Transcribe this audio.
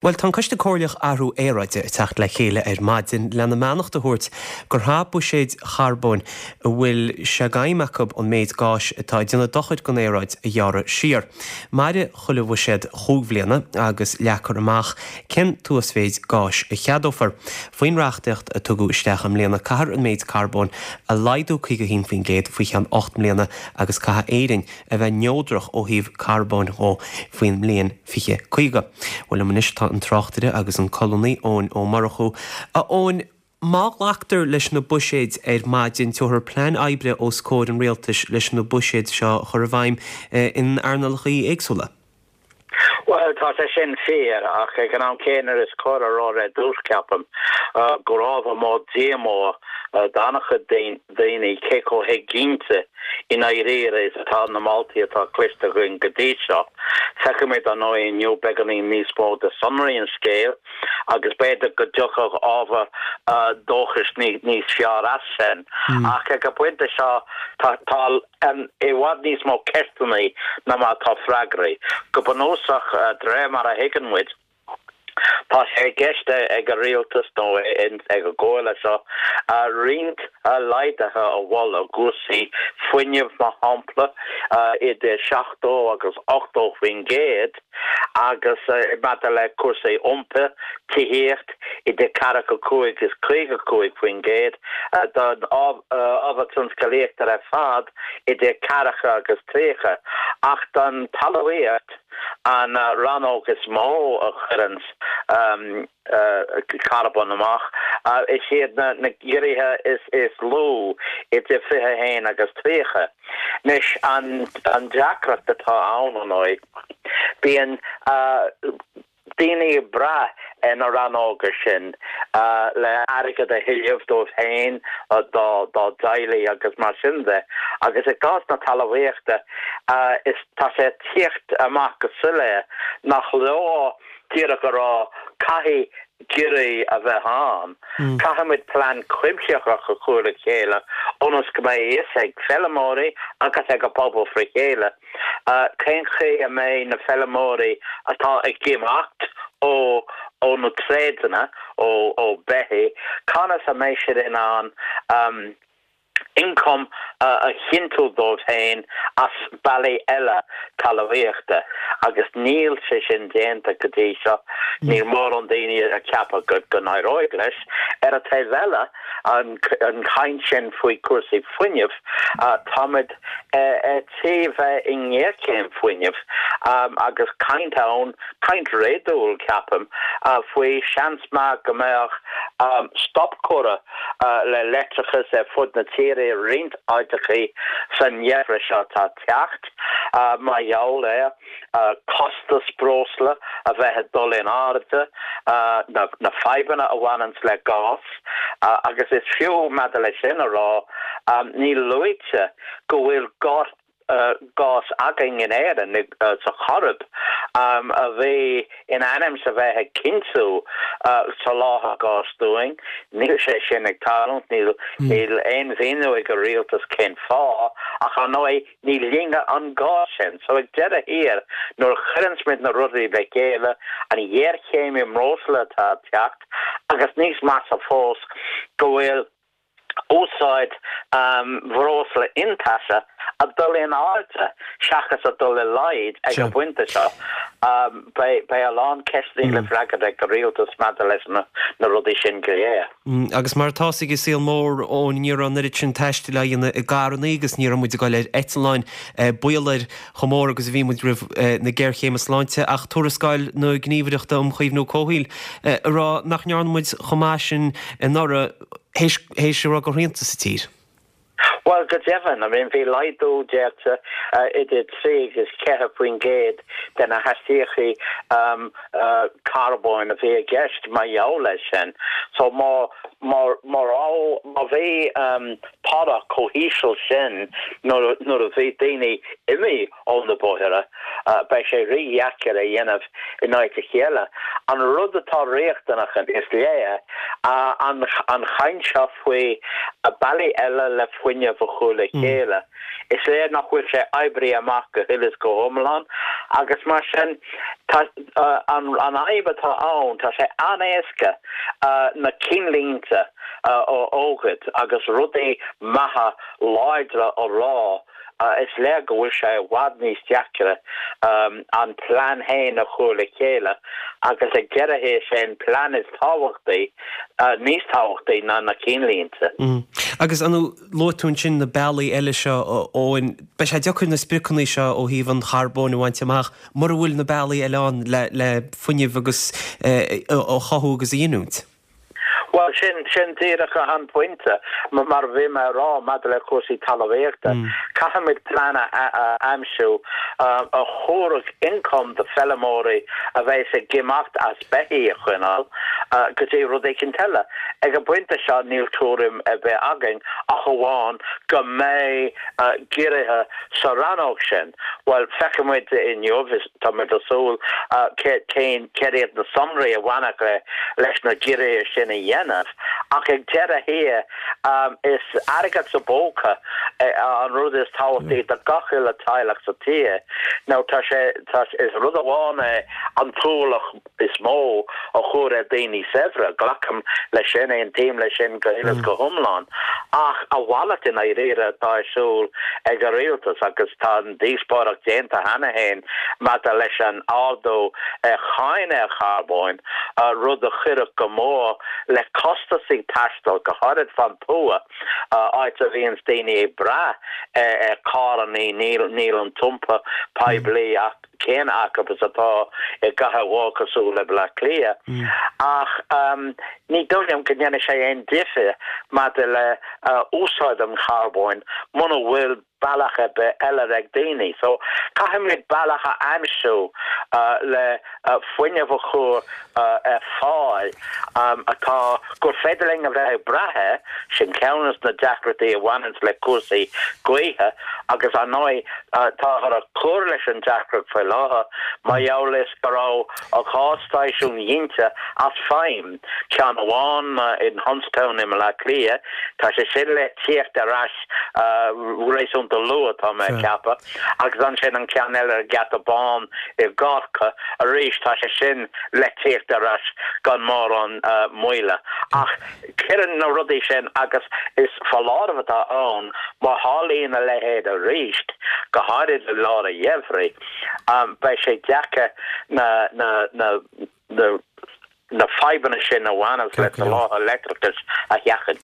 Bhuel, tá an Coiste Comhairleach Athrú Aeráide ag teacht le chéile ar maidin lena mbeannacht a thabhairt gur chaith buiséid charbóin a bhfuil sé d'aidhm acu an méid gáis atá ag déanamh dochair don aeráid a ghearradh siar. Mairfidh chuile bhuiséad chúig bhliana agus leagfar amach cén t-uasmhéid gáis a cheadófar. Faoin reachtaíocht a tugadh isteach i mbliana caithfear an méid carbóin a laghdú 51% faoi cheann 8 mbliana agus caithfidh Éirinn a bheith neodrach ó thaobh carbóin dhó faoin mbliain 2050. Bhuel, liom anois tá an tráchtaire agus an colúnaí Eoin Ó Murchú. A Eoin, má ghlactar leis na buiséid ar maidin, tabharfar plean oibre os comhair an rialtais leis na buiséid seo a chur i bhfeidhm in earnálacha éagsúla. Bhuel, tá sé sin fíor, ach ag an am céanna is cóir a rá ar dtús, ceapaim, gur ábhar mór díomá d'an-chuid daoine cé chomh héiginnte i ndáiríre is atá na moltaí atá cloiste againn go dtí seo. Feicfimid, ar ndóigh, inniu beagáinín níos mó de sonraí an scéil agus b'fhéidir go dtiocfadh ábhar dóchais níos fearr as sin. Ach ag an bpointe seo, tá i bhfad níos mó ceisteanna ná mar atá freagraí. Go bunúsach, de réir mar a thuigeann muid, Tá sé i gceist ag an Rialtas nó ag an gComhairle seo roinnt laghduithe a mholadh i gcúrsaí fuinnimh, mar shampla, idir 70 agus 80% agus maidir le cúrsaí iompair, tithíocht, idir 45 is 55%, don ábhar tionscalaíochta ar fad idir 40 agus 30, ach don talmhaíocht, An rannóg is mó a chuireanns carbón amach, is iad na giorruithe is lú, idir 21 agus 30. Anois, an deacracht atá ann, ar ndóigh, bíonn. daoine ag brath ar na rannóga sin le airgead a thuilleamh dóibh féin, dá dteaghlaigh agus mar sin de. Agus i gcás na talmhaíochta, is tá sé ag tíocht amach go soiléir nach leor díreach a rá caithfidh giorruithe a bheith ann. Caithfimid plean cuimsitheach a chur le chéile ionas go mbeidh a fhios ag feilmeoirí agus ag an bpobal fré chéile Cén chaoi a mbeidh na feilmeoirí atá ag imeacht ó ó na tréadanna, ó ó beithígh, conas a mbeidh siad in ann ioncam a chinntiú dóibh féin as bealaí eile talmhaíochta? Agus níl sé sin déanta go dtí seo. Níl mórán daoine ag ceapadh go go n-éireoidh leis. Ar an taobh eile, an chaint sin faoi chúrsaí fuinnimh, táimid ar tí bheith i ngéarchéim fuinnimh agus caint ann, caint réadúil, ceapaim, faoi seans maith go mbeadh stop curtha le leictreachas ar fud na tíre i roinnt áiteachaí san gheimhreadh seo atá ag teacht mar gheall ar costas breosla a bheith ag dul in airde, na fadhbanna a bhaineanns le gás agus is fiú maidir leis sin a rá, níl luaite go bhfuil gás againn in Éirinn, sa Choirib, a bhí in ainm 's a bheith ag cinntiú soláthar gáis dúinn. Níl sé sin ag tarlúint, níl aon mhíniú ag an rialtas cén fáth, ach ar ndóigh ní linne an gás sin. So ag deireadh thiar, nuair a chuireanns muid na rudaí le chéile, an ghéarchéim i mbreosla atá ag teacht, agus níos measa fós, go bhfuil úsáid bhreosla iontaise ag dul in airde seachas ag dul i laghad ag an bpointe seo. Beidh a lán ceisteanna le freagairt ag an rialtas maidir leis na rudaí sin go léir. Agus mar atá 's ag an saol mór, Eoin, ní raibh an oiread sin taistil á dhéanamh i gcarrannaí agus ní raibh muid ag dul ar eitleáin, baol air chomh mór agus a bhí muid roimh na géarchéime sláinte, ach tuarascáil na Gníomhaireachta um Chaomhnú Comhshaoil ag rá nach ndearna muid chomh maith sin anuraidh théis a raibh go shrianta sa tír. Bhuel, go deimhin, I mean, bhí laghdú déanta idir 3 agus 4% de na hastaíochtaí carbóin a bhí i gceist mar gheall air sin. So má, má, má raibh, má bhí toradh chomh híseal sin nuair, nuair a bhí daoine imithe ó na bóithre, beidh sé rídheacair a dhéanamh in áit a chéile. An rud atá riachtanach, is léir. An chaint seo faoi bealaí eile le fuinneamh a chur le chéile, is léir nach bhfuil sé oibrithe amach go huile is go hiomlán agus mar sin tá an fhadhb atá ann, tá sé an-éasca na cinnlínte a fhógairt agus rudaí maithe láidre a rá Is léir go bhfuil sé i bhfad níos deacra an plean féin a chur le chéile agus ag deireadh thiar is é an plean is tábhachtaí, níos tábhachtaí ná na cinnlínte. Agus ar ndóigh, luaigh tú ansin na bealaí eile seo, Eoin. Beidh sé deacair na spriocanna seo ó thaobh an charbóin a bhaint amach mura bhfuil na bealaí eile ann le fuinneamh agus a chothú agus a ghiniúint. Bhuel, sin, sin díreach an pointe. Mar a bhí mé a rá maidir le cúrsaí talmhaíochta, caithfimid plean a aimsiú a thabharfadh ioncam do feilmeoirí a bheas ag imeacht as beithígh a choinneáil go dtí rud éicint eile. Ag an bpointe seo níl tuairim ar bith againn ach amháin go mbeidh giorruithe sa rannóg sin. Bhuel, feicfimid inniu, tá muid ag súil cén, céard iad na sonraí a bhainfeadh leis na giorruithe sin a dhéanamh, ach ag deireadh thiar is airgead sa bpóca an rud is tábhachtaí do gach uile teaghlach sa tír. Nó tá sé, tá, is rud amháin é an t-ualach is mó a chur ar daoine saibhre, glacaim leis sin, aontaím leis sin go huile is go hiomlán, ach a mhalairt i ndáiríre atá ar siúl ag an rialtas agus tá an díospóireacht déanta cheana féin maidir leis an ardú ar cháin ar charbóin, rud a chuirfeadh go mór le costasaí taistil, go háirid fán tuath, áit a bhíonns daoine ag brath ar charrannaí, níl an t-iompar poiblí ach. céanna acu is atá i gcathair mhór cosúil le Baile Átha Cliath. Ach ní dóigh liom go ndéanfaidh sé aon difear maidir le úsáid an charbóin muna bhfuil bealach ar bith eile ag daoine. So caithfimid bealach a aimsiú le fuinneamh a chur ar fáil atá gur féidir linn a bheith ag brath air, sin ceann de na deacrachtaí a bhaineanns le cúrsaí gaoithe agus ar ndóigh táthar ag cur leis an deacracht faoi láthair mar gheall is go raibh 2 stáisiún ghinte as feidhm, ceann amháin in Huntstown i mBaile Átha Cliath, tá sé sin le tíocht ar ais réasúnta luath tá mé ag ceapadh. Agus ansin an ceann eile ar an Gheata Bán i gCorcaigh arís, tá sé sin le tíocht ar ais gan mórán moille. Ach cuireann na rudaí sin, agus is foláireamh atá ann, má tharlaíonn a leithéid arís, go háirid i lár an gheimhridh, beidh sé deacair na na na fadhbanna sin a bhaineanns le soláthar leictreachais a sheachaint.